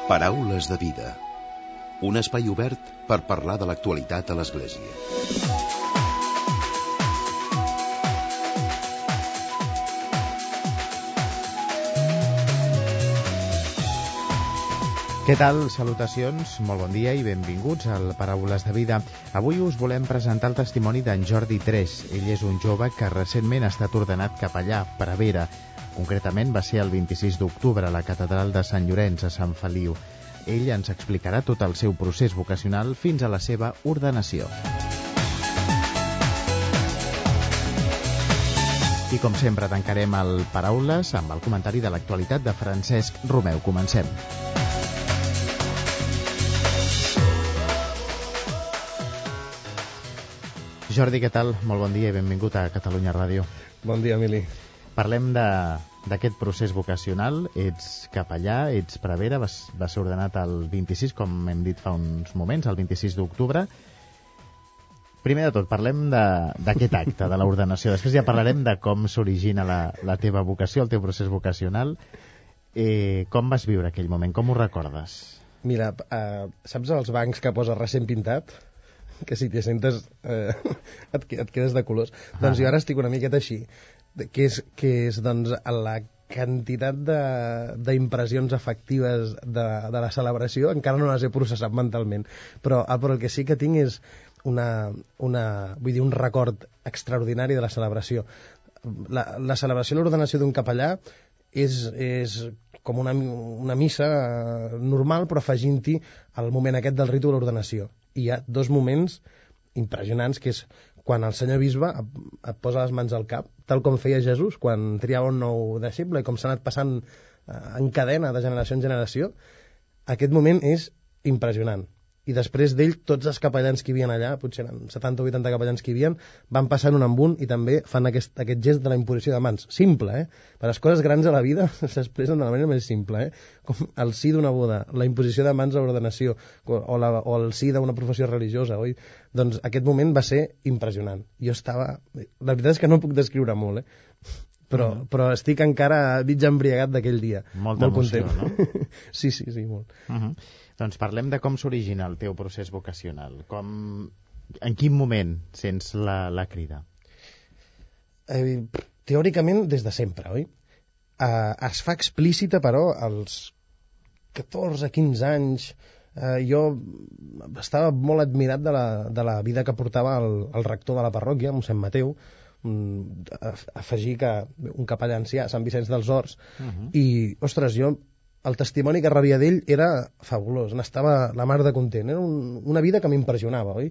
Paraules de vida. Un espai obert per parlar de l'actualitat a l'Església. Què tal? Salutacions, molt bon dia i benvinguts al Paraules de Vida. Avui us volem presentar el testimoni d'en Jordi Tres. Ell és un jove que recentment ha estat ordenat capellà, prevere. Concretament va ser el 26 d'octubre a la catedral de Sant Llorenç, a Sant Feliu. Ell ens explicarà tot el seu procés vocacional fins a la seva ordenació. I com sempre tancarem el Paraules amb el comentari de l'actualitat de Francesc Romeu. Comencem. Jordi, què tal? Molt bon dia i benvingut a Catalunya Ràdio. Bon dia, Emili. Parlem d'aquest procés vocacional. Ets capellà, ets prevere, va ser ordenat el 26, com hem dit fa uns moments, el 26 d'octubre. Primer de tot, parlem d'aquest acte, de l'ordenació. Després ja parlarem de com s'origina la teva vocació, el teu procés vocacional. Com vas viure aquell moment? Com ho recordes? Mira, saps els bancs que posa recent pintat? Que si t'hi sentes et quedes de colors. Doncs jo ara estic una miqueta així, que és doncs, la quantitat d'impressions afectives de la celebració encara no les he processat mentalment, però el que sí que tinc és un record extraordinari de la celebració. La celebració de l'ordenació d'un capellà és com una missa normal, però afegint-hi el moment aquest del ritu de l'ordenació. I hi ha dos moments impressionants, que és quan el senyor bisbe et posa les mans al cap, tal com feia Jesús quan triava un nou deixeble i com s'ha anat passant en cadena de generació en generació. Aquest moment és impressionant. I després d'ell, tots els capellans que hi havia allà, potser eren 70 o 80 capellans que hi havia, van passant un amb un i també fan aquest gest de la imposició de mans. Simple, Per les coses grans a la vida s'expressen de la manera més simple, Com el sí d'una boda, la imposició de mans a l'ordenació, o el sí d'una professió religiosa, oi? Doncs aquest moment va ser impressionant. Jo estava... La veritat és que no puc descriure molt, Però estic encara mig embriagat d'aquell dia. Molta emoció, no? Sí, molt. Doncs parlem de com s'origina el teu procés vocacional. En quin moment sents la crida? Teòricament, des de sempre, oi? Es fa explícita, però, als 14-15 anys. Jo estava molt admirat de la vida que portava el rector de la parròquia, mossèn Mateu, afegir que un capellà ancià, Sant Vicenç dels Horts, i, ostres, el testimoni que rebia d'ell era fabulós, n'estava la mar de content, era una vida que m'impressionava, oi?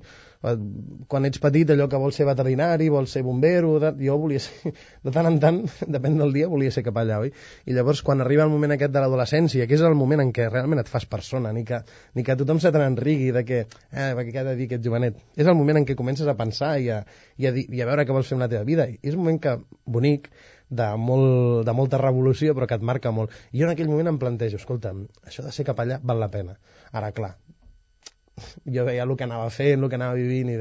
Quan ets petit, allò que vols ser veterinari, vols ser bombero, jo volia ser, de tant en tant, depèn del dia, volia ser capellà, oi? I llavors, quan arriba el moment aquest de l'adolescència, que és el moment en què realment et fas persona, ni que tothom se te n'enrigui de que, què ha de dir aquest jovenet? És el moment en què comences a pensar i a veure què vols fer amb la teva vida. I és un moment bonic, de molta revolució, però que et marca molt. I jo en aquell moment em plantejo, escolta, això de ser capellà val la pena. Ara, clar, jo veia el que anava fent, el que anava vivint, i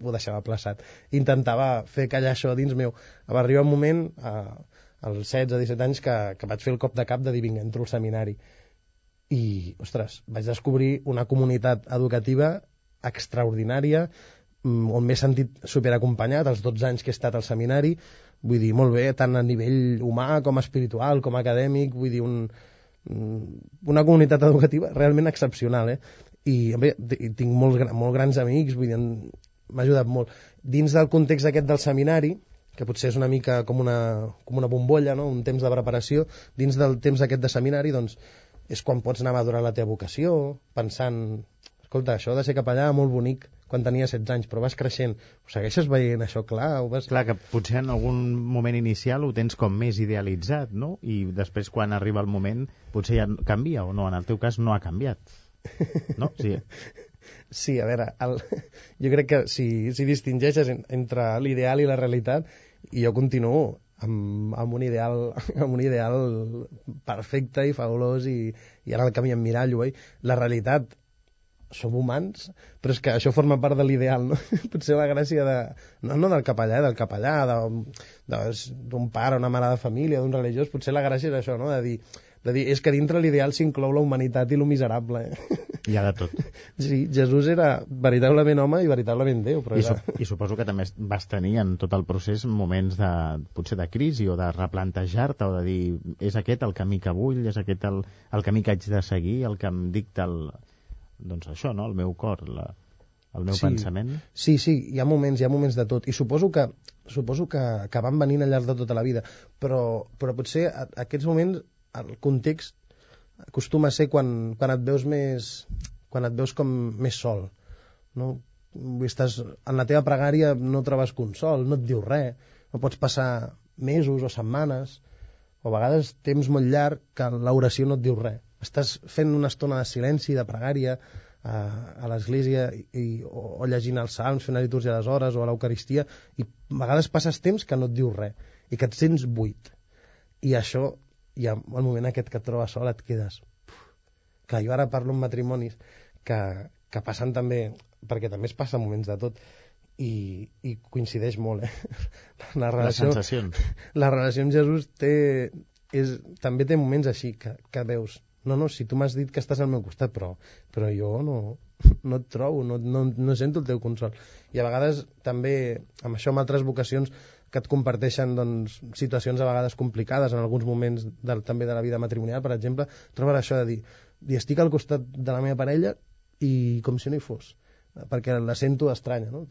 ho deixava plaçat. Intentava fer callar això dins meu. Va arribar un moment, als 16-17 anys, que vaig fer el cop de cap de dir, vinga, entro al seminari. I, ostres, vaig descobrir una comunitat educativa extraordinària, on m'he sentit superacompanyat els 12 anys que he estat al seminari. Vull dir, molt bé, tant a nivell humà com espiritual, com acadèmic, vull dir, una comunitat educativa realment excepcional, I bé, tinc molt grans amics, vull dir, m'ha ajudat molt. Dins del context aquest del seminari, que potser és una mica com una bombolla, no? Un temps de preparació, dins del temps aquest de seminari, doncs, és quan pots anar madurant la teva vocació, pensant, escolta, això de ser capellà molt bonic quan tenia 16 anys, però vas creixent. Ho segueixes veient això clar? Clar, que potser en algun moment inicial ho tens com més idealitzat, no? I després, quan arriba el moment, potser ja canvia, o no? En el teu cas no ha canviat, no? Sí. Sí, a veure, jo crec que si distingeixes entre l'ideal i la realitat, i jo continuo amb un ideal perfecte i fabulós, i ara el camí emmirallo, la realitat som humans, però és que això forma part de l'ideal, no? Potser la gràcia no del capellà, d'un pare, una mare de família, d'un religiós, potser la gràcia és això, no? De dir, De dir, és que dintre l'ideal s'inclou la humanitat i lo miserable. Hi ha de tot. Sí, Jesús era veritablement home i veritablement Déu. Però I suposo que també vas tenir en tot el procés moments potser de crisi o de replantejar-te o de dir, és aquest el camí que vull, és aquest el camí que haig de seguir, el que em dicta doncs això, no? El meu cor, el meu pensament. Sí, hi ha moments de tot. I suposo que van venint al llarg de tota la vida. Però potser aquests moments, el context acostuma a ser quan et veus com més sol. No? Estàs en la teva pregària, no trobes consol, no et diu res, no pots passar mesos o setmanes, o a vegades temps molt llarg que l'oració no et diu res. Estàs fent una estona de silenci, de pregària, a l'església o llegint els salms, fent la litúrgia a les hores o a l'Eucaristia, i a vegades passes temps que no et diu res i que et sents buit. I això, i al moment aquest que et trobes sol et quedes... Clar, jo ara parlo en matrimonis que passen també, perquè també es passa moments de tot, i coincideix molt, Les sensacions. La relació amb Jesús també té moments així que veus, no, si tu m'has dit que estàs al meu costat, però jo no et trobo, no sento el teu consol. I a vegades també, amb això, amb altres vocacions que et comparteixen doncs, situacions a vegades complicades en alguns moments també de la vida matrimonial, per exemple, trobes això de dir estic al costat de la meva parella i com si no hi fos, perquè la sento estranya, no?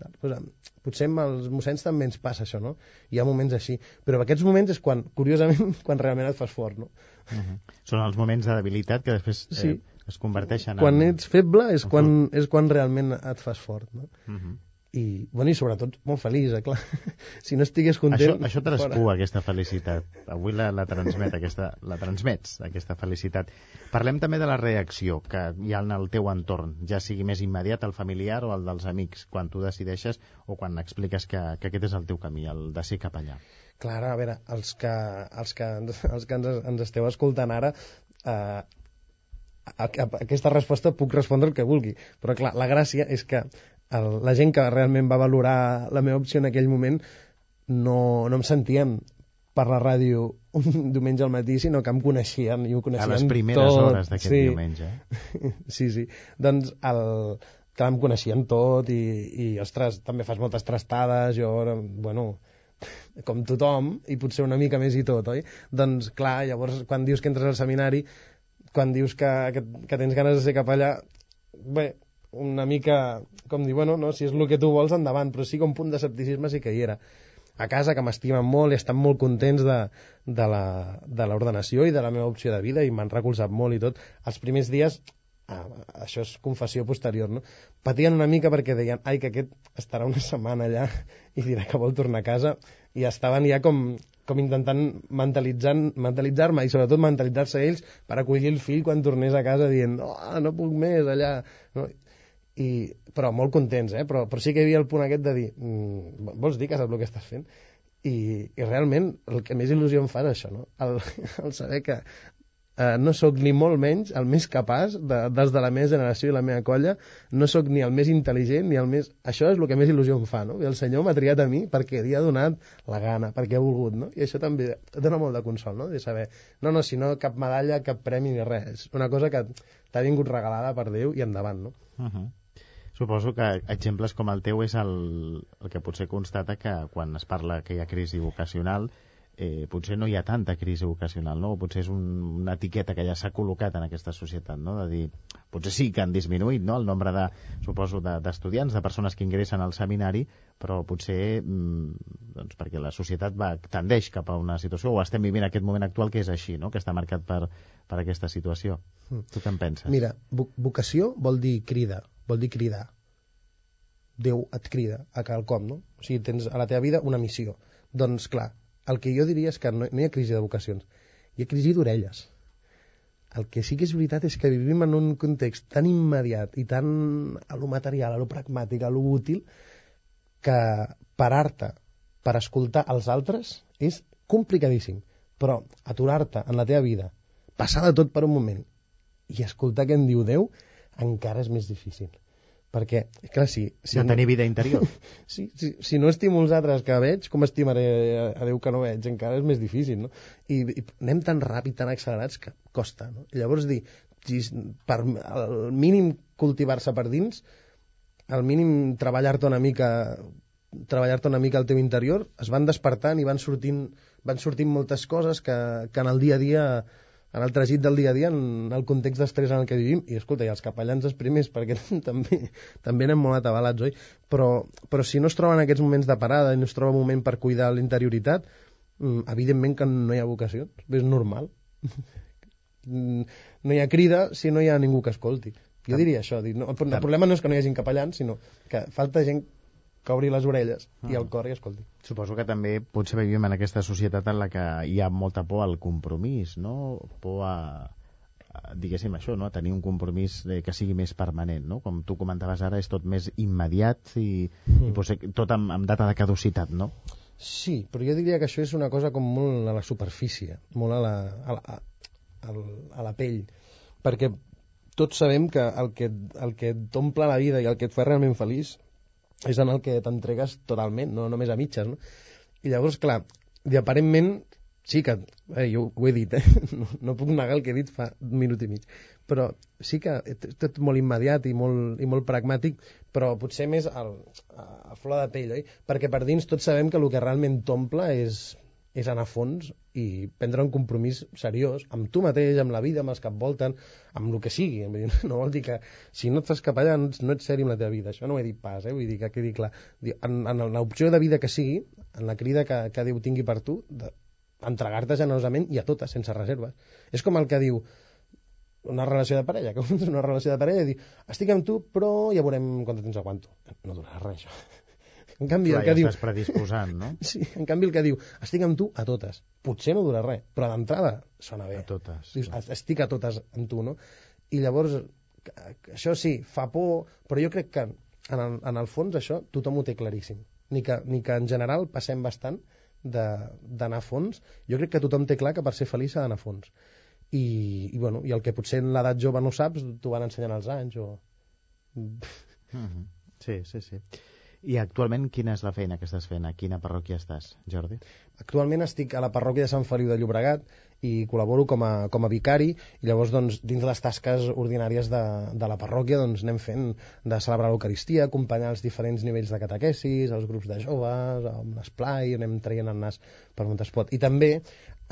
Potser amb els mossens també ens passa això, no? Hi ha moments així, però aquests moments és curiosament, quan realment et fas fort, no? Són els moments de debilitat que després es converteixen quan ets feble és quan realment et fas fort, no? I sobretot molt feliç, clar. Si no estigués content... Això traspua, aquesta felicitat. Avui la transmets, aquesta felicitat. Parlem també de la reacció que hi ha en el teu entorn, ja sigui més immediat, el familiar o el dels amics, quan tu decideixes o quan expliques que aquest és el teu camí, el de ser capellà. Clar, a veure, els que ens esteu escoltant ara... A aquesta resposta puc respondre el que vulgui, però clar, la gràcia és que la gent que realment va valorar la meva opció en aquell moment no em sentien per la ràdio un diumenge al matí, sinó que em coneixien i ho coneixien tot. A les primeres hores d'aquest diumenge. Sí. Doncs que em coneixien tot i ostres, també fas moltes trastades, jo, com tothom, i potser una mica més i tot, oi? Doncs clar, llavors quan dius que entres al seminari, quan dius que tens ganes de ser capellà, bé, una mica com dir, si és el que tu vols, endavant, però sí que un punt d'escepticisme sí que hi era. A casa, que m'estimen molt i estan molt contents de l'ordenació i de la meva opció de vida i m'han recolzat molt i tot. Els primers dies, això és confessió posterior, no? Patien una mica perquè deien, que aquest estarà una setmana allà i dirà que vol tornar a casa, i estaven ja com intentant mentalitzar-me i sobretot mentalitzar-se ells per acollir el fill quan tornés a casa dient no puc més allà, no? Però molt contents, però sí que hi havia el punt aquest de dir vols dir que saps el que estàs fent? I realment el que més il·lusió em fa és això, no? El saber que no sóc ni molt menys el més capaç dels de la meva generació i la meva colla, no sóc ni el més intel·ligent ni el més... Això és el que més il·lusió em fa, no? I el Senyor m'ha triat a mi perquè li ha donat la gana, perquè ha volgut, no? I això també dona molt de consol, no? De saber, si no cap medalla, cap premi ni res, és una cosa que t'ha vingut regalada per Déu i endavant, no? Suposo que exemples com el teu és el que potser constata que quan es parla que hi ha crisi vocacional potser no hi ha tanta crisi vocacional, no? O potser és una etiqueta que ja s'ha col·locat en aquesta societat, no? De dir, potser sí que han disminuït, no?, el nombre d'estudiants, de persones que ingressen al seminari, però potser doncs perquè la societat tendeix cap a una situació, o estem vivint aquest moment actual que és així, no?, que està marcat per aquesta situació. Tu què en penses? Mira, vocació vol dir crida, vol dir cridar. Déu et crida a quelcom, no? O sigui, tens a la teva vida una missió. Doncs clar, el que jo diria és que no hi ha crisi de vocacions, hi ha crisi d'orelles. El que sí que és veritat és que vivim en un context tan immediat i tan a lo material, a lo pragmàtic, a lo útil, que parar-te per escoltar els altres és complicadíssim. Però aturar-te en la teva vida, passar de tot per un moment i escoltar què en diu Déu, encara és més difícil. Perquè, clar, de tenir vida interior. Si no estimo els altres que veig, com estimaré a Déu que no veig? Encara és més difícil, no? I anem tan ràpid, tan accelerats, que costa, no? I llavors dir, per al mínim cultivar-se per dins, al mínim treballar-te una mica al teu interior, es van despertant i van sortint moltes coses que en el dia a dia, en el tràgic del dia a dia, en el context d'estrès en el que vivim, i escolta, i els capellans els primers, perquè també anem molt atabalats, oi? Però si no es troben aquests moments de parada i no es troba un moment per cuidar l'interioritat, evidentment que no hi ha vocació, és normal. No hi ha crida si no hi ha ningú que escolti. Jo diria això, el problema no és que no hi hagi capellans, sinó que falta gent que obri les orelles i el cor i escolti. Suposo que també potser vivim en aquesta societat en la que hi ha molta por al compromís, no? Por diguéssim això, no? A tenir un compromís que sigui més permanent, no? Com tu comentaves ara, és tot més immediat i potser tot amb data de caducitat, no? Sí, però jo diria que això és una cosa com molt a la superfície, molt a la pell, perquè tots sabem que el que t'omple la vida i el que et fa realment feliç és en el que t'entregues totalment, no només a mitges, no? I llavors, clar, i aparentment, sí que, jo ho he dit, no puc negar el que he dit fa un minut i mig, però sí que és tot molt immediat i molt pragmàtic, però potser més a flor de pell, oi? Perquè per dins tots sabem que el que realment t'omple és anar a fons i prendre un compromís seriós amb tu mateix, amb la vida, amb els que et volten, amb el que sigui. No vol dir que si no et fas capellà no ets seri amb la teva vida. Això no ho he dit pas, vull dir que quedi clar. En l'opció de vida que sigui, en la crida que Déu tingui per tu, entregar-te generosament i a totes, sense reserves. És com el que diu una relació de parella, que una relació de parella i dir, estic amb tu, però ja veurem quant temps aguanto. No durarà res, això. En canvi, clar, el que diu... estàs predisposant, no? Sí, en canvi el que diu, estic amb tu a totes. Potser no dura res, però d'entrada sona bé. A totes. Dius, estic a totes amb tu, no? I llavors, això sí, fa por, però jo crec que en el fons això tothom ho té claríssim. Ni que en general passem bastant d'anar a fons. Jo crec que tothom té clar que per ser feliç s'ha d'anar a fons. I el que potser en l'edat jove no saps, t'ho van ensenyant els anys o... Sí. I actualment quina és la feina que estàs fent? A quina parròquia estàs, Jordi? Actualment estic a la parròquia de Sant Feliu de Llobregat i col·laboro com a vicari i llavors doncs, dins les tasques ordinàries de la parròquia doncs, anem fent de celebrar l'Eucaristia, acompanyar els diferents nivells de catequesis, els grups de joves, amb l'esplai, anem traient el nas per on es pot. I també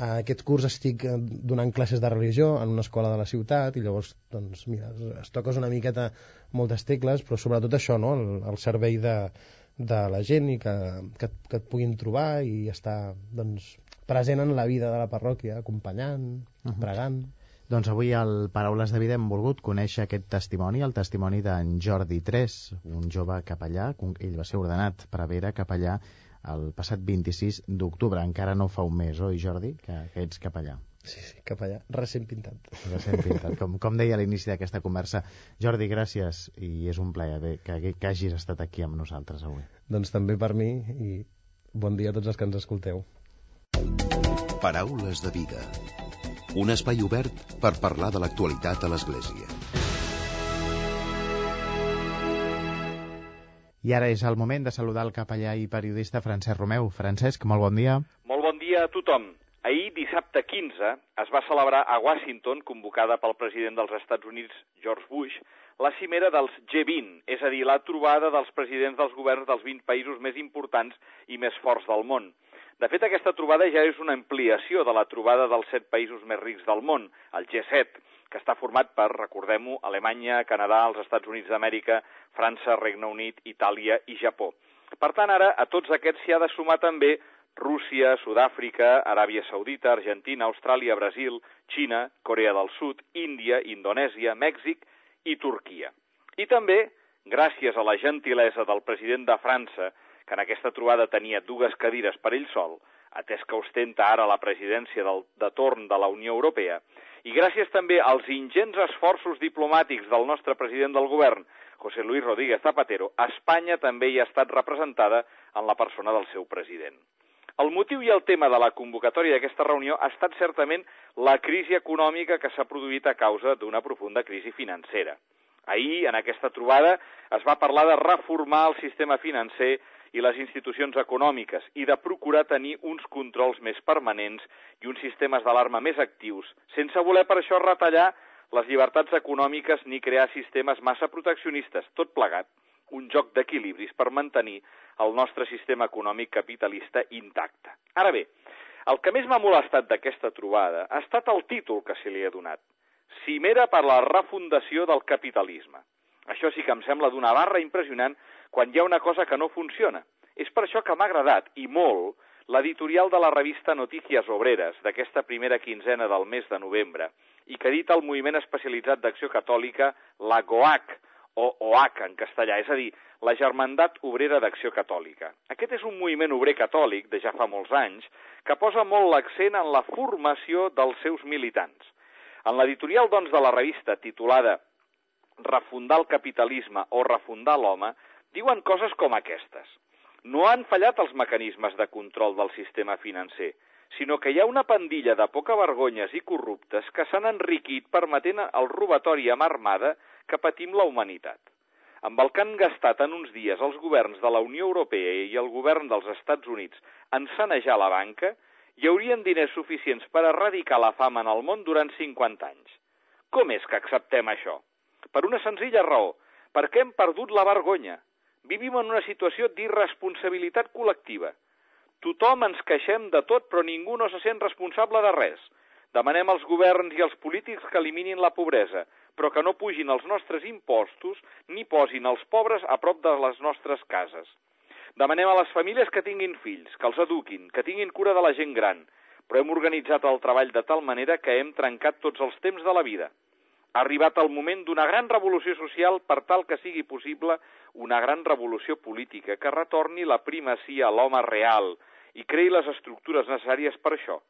aquest curs estic donant classes de religió en una escola de la ciutat i llavors doncs, mira, es toques una miqueta moltes tecles, però sobretot això, no? el servei de la gent i que et puguin trobar i estar doncs, present en la vida de la parròquia, acompanyant, pregant. Doncs avui al Paraules de Vida hem volgut conèixer aquest testimoni, el testimoni d'en Jordi Tres, un jove capellà. Ell va ser ordenat prevere capellà el passat 26 d'octubre. Encara no fa un mes, oi, Jordi, que ets capellà? Sí, capellà, recent pintat. Recent pintat, com deia a l'inici d'aquesta conversa. Jordi, gràcies, i és un plaer que hagis estat aquí amb nosaltres avui. Doncs també per mi, i bon dia a tots els que ens escolteu. Paraules de Vida. Un espai obert per parlar de l'actualitat a l'Església. I ara és el moment de saludar el capellà i periodista Francesc Romeu. Francesc, molt bon dia. Molt bon dia a tothom. Ahir, dissabte 15, es va celebrar a Washington, convocada pel president dels Estats Units, George Bush, la cimera dels G20, és a dir, la trobada dels presidents dels governs dels 20 països més importants i més forts del món. De fet, aquesta trobada ja és una ampliació de la trobada dels 7 països més rics del món, el G7, que està format per, recordem-ho, Alemanya, Canadà, els Estats Units d'Amèrica, França, Regne Unit, Itàlia i Japó. Per tant, ara, a tots aquests s'hi ha de sumar també Rússia, Sud-àfrica, Aràbia Saudita, Argentina, Austràlia, Brasil, Xina, Corea del Sud, Índia, Indonèsia, Mèxic i Turquia. I també, gràcies a la gentilesa del president de França, que en aquesta trobada tenia 2 cadires per ell sol, atès que ostenta ara la presidència de torn de la Unió Europea, i gràcies també als ingents esforços diplomàtics del nostre president del govern, José Luis Rodríguez Zapatero, Espanya també hi ha estat representada en la persona del seu president. El motiu i el tema de la convocatòria d'aquesta reunió ha estat certament la crisi econòmica que s'ha produït a causa d'una profunda crisi financera. Ahir, en aquesta trobada, es va parlar de reformar el sistema financer i les institucions econòmiques i de procurar tenir uns controls més permanents i uns sistemes d'alarma més actius, sense voler per això retallar les llibertats econòmiques ni crear sistemes massa proteccionistes, tot plegat, un joc d'equilibris per mantenir el nostre sistema econòmic capitalista intacte. Ara bé, el que més m'ha molestat d'aquesta trobada ha estat el títol que se li ha donat, Cimera per la refundació del capitalisme. Això sí que em sembla d'una barra impressionant quan hi ha una cosa que no funciona. És per això que m'ha agradat, i molt, l'editorial de la revista Noticias Obreres d'aquesta primera quinzena del mes de novembre i que edita el moviment especialitzat d'acció catòlica, la GOAC, o OAC en castellà, és a dir, la Germandat Obrera d'Acció Catòlica. Aquest és un moviment obrer catòlic de ja fa molts anys que posa molt l'accent en la formació dels seus militants. En l'editorial, doncs, de la revista titulada Refundar el capitalisme o refundar l'home, diuen coses com aquestes. No han fallat els mecanismes de control del sistema financer, sinó que hi ha una pandilla de poca vergonyes i corruptes que s'han enriquit permetent el robatori amb armada que patim la humanitat. Amb el que han gastat en uns dies els governs de la Unió Europea i el govern dels Estats Units en sanejar la banca, hi haurien diners suficients per erradicar la fam en el món durant 50 anys. Com és que acceptem això? Per una senzilla raó, perquè hem perdut la vergonya. Vivim en una situació d'irresponsabilitat col·lectiva. Tothom ens queixem de tot, però ningú no se sent responsable de res. Demanem als governs i als polítics que eliminin la pobresa, però que no pugin els nostres impostos ni posin els pobres a prop de les nostres cases. Demanem a les famílies que tinguin fills, que els eduquin, que tinguin cura de la gent gran, però hem organitzat el treball de tal manera que hem trencat tots els temps de la vida. Ha arribat el moment d'una gran revolució social per tal que sigui possible una gran revolució política que retorni la primacia a l'home real i creï les estructures necessàries per això.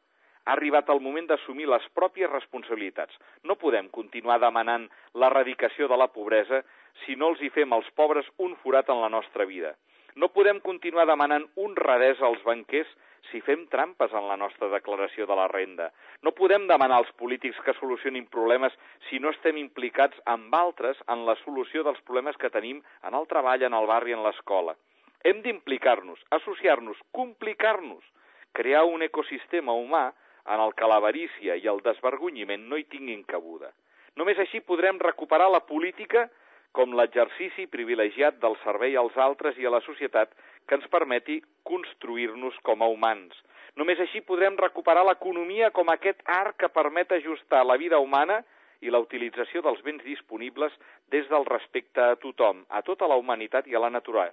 Ha arribat el moment d'assumir les pròpies responsabilitats. No podem continuar demanant l'erradicació de la pobresa si no els hi fem als pobres un forat en la nostra vida. No podem continuar demanant honradesa als banquers si fem trampes en la nostra declaració de la renda. No podem demanar als polítics que solucionin problemes si no estem implicats amb altres en la solució dels problemes que tenim en el treball, en el barri, en l'escola. Hem d'implicar-nos, associar-nos, complicar-nos, crear un ecosistema humà en el que l'avarícia i el desvergonyiment no hi tinguin cabuda. Només així podrem recuperar la política com l'exercici privilegiat del servei als altres i a la societat que ens permeti construir-nos com a humans. Només així podrem recuperar l'economia com aquest art que permet ajustar la vida humana i la utilització dels béns disponibles des del respecte a tothom, a tota la humanitat i a la natura.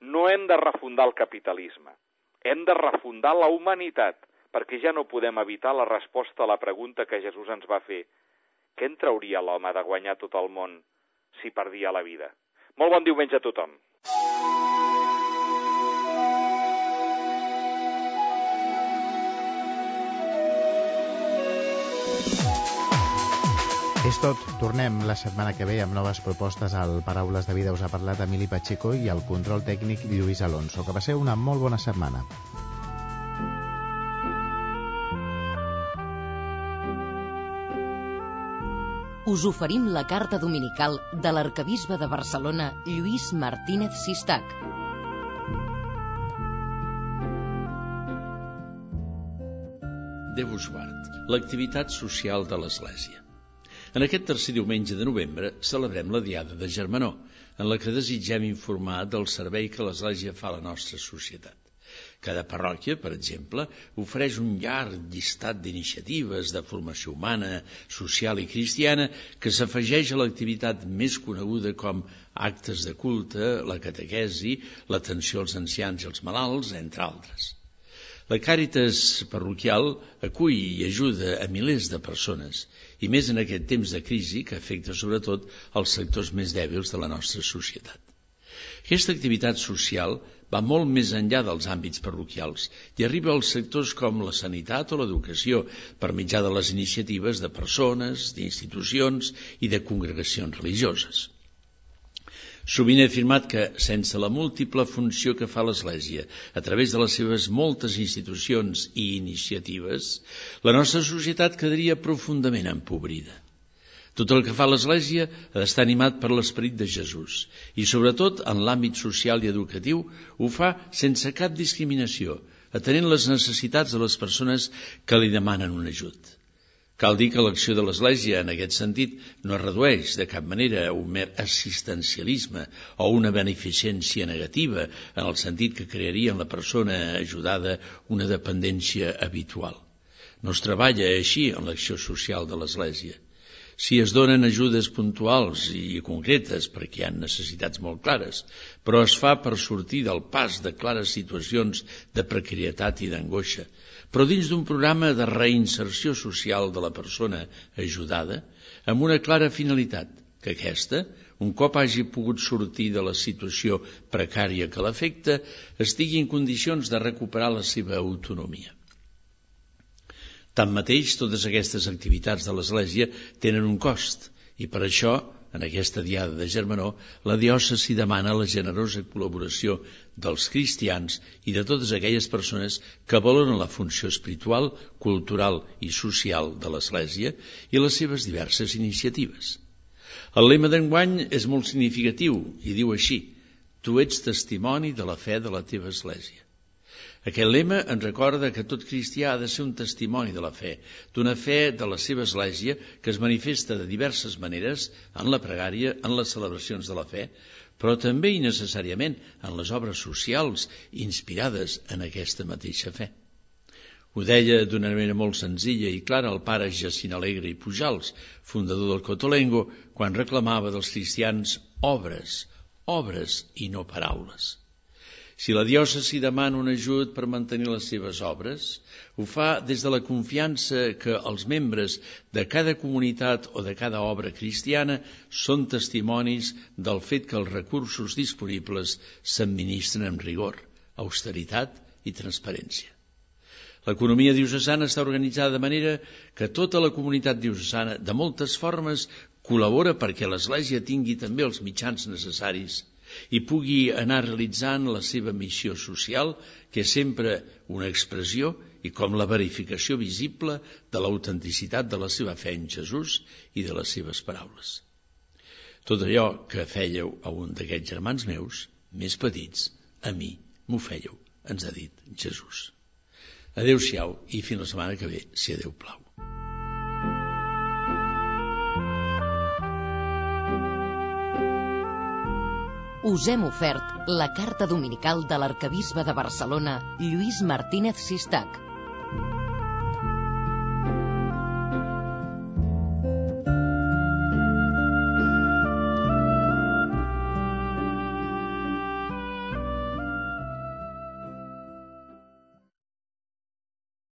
No hem de refundar el capitalisme, hem de refundar la humanitat, perquè ja no podem evitar la resposta a la pregunta que Jesús ens va fer. Què en trauria l'home de guanyar tot el món si perdia la vida? Molt bon diumenge a tothom. És tot. Tornem la setmana que ve amb noves propostes al Paraules de Vida. Us ha parlat Emili Pacheco i el control tècnic Lluís Alonso. Que passeu una molt bona setmana. Us oferim la carta dominical de l'arquebisbe de Barcelona, Lluís Martínez Sistac. Déu us guard. L'activitat social de l'Església. En aquest tercer diumenge de novembre celebrem la Diada de Germanor, en la que desitgem informar del servei que l'Església fa a la nostra societat. Cada parròquia, per exemple, ofereix un llarg llistat d'iniciatives de formació humana, social i cristiana que s'afegeix a l'activitat més coneguda com actes de culte, la catequesi, l'atenció als ancians i als malalts, entre altres. La Càritas parroquial acull i ajuda a milers de persones, i més en aquest temps de crisi que afecta sobretot els sectors més dèbils de la nostra societat. Aquesta activitat social va molt més enllà dels àmbits parroquials i arriba als sectors com la sanitat o l'educació per mitjà de les iniciatives de persones, d'institucions i de congregacions religioses. Sovint he afirmat que, sense la múltiple funció que fa l'Església a través de les seves moltes institucions i iniciatives, la nostra societat quedaria profundament empobrida. Tot el que fa l'Església ha d'estar animat per l'esperit de Jesús i, sobretot, en l'àmbit social i educatiu, ho fa sense cap discriminació, atenent les necessitats de les persones que li demanen un ajut. Cal dir que l'acció de l'Església, en aquest sentit, no es redueix de cap manera a un mer assistencialisme o una beneficència negativa, en el sentit que crearia en la persona ajudada una dependència habitual. No es treballa així en l'acció social de l'Església. Si es donen ajudes puntuals i concretes perquè hi ha necessitats molt clares, però es fa per sortir del pas de clares situacions de precarietat i d'angoixa, però dins d'un programa de reinserció social de la persona ajudada, amb una clara finalitat, que aquesta, un cop hagi pogut sortir de la situació precària que l'afecta, estigui en condicions de recuperar la seva autonomia. Tanmateix, totes aquestes activitats de l'Església tenen un cost i per això, en aquesta diada de Germanor, la diòcesi demana la generosa col·laboració dels cristians i de totes aquelles persones que valoren la funció espiritual, cultural i social de l'Església i les seves diverses iniciatives. El lema d'enguany és molt significatiu i diu així: tu ets testimoni de la fe de la teva Església. Aquest lema ens recorda que tot cristià ha de ser un testimoni de la fe, d'una fe de la seva Església que es manifesta de diverses maneres en la pregària, en les celebracions de la fe, però també i necessàriament en les obres socials inspirades en aquesta mateixa fe. Ho deia d'una manera molt senzilla i clara el pare Jacint Alegre i Pujals, fundador del Cotolengo, quan reclamava dels cristians obres, obres i no paraules. Si la diòcesi demana un ajut per mantenir les seves obres, ho fa des de la confiança que els membres de cada comunitat o de cada obra cristiana són testimonis del fet que els recursos disponibles s'administren amb rigor, austeritat i transparència. L'economia diocesana està organitzada de manera que tota la comunitat diocesana, de moltes formes, col·labora perquè l'Església tingui també els mitjans necessaris i pugui anar realitzant la seva missió social, que és sempre una expressió i com la verificació visible de l'autenticitat de la seva fe en Jesús i de les seves paraules. Tot allò que fèieu a un d'aquests germans meus, més petits, a mi m'ho fèieu, ens ha dit Jesús. Adéu-siau i fins la setmana que ve, si a Déu plau. Us hem ofert la carta dominical de l'arquebisbe de Barcelona, Lluís Martínez Sistac,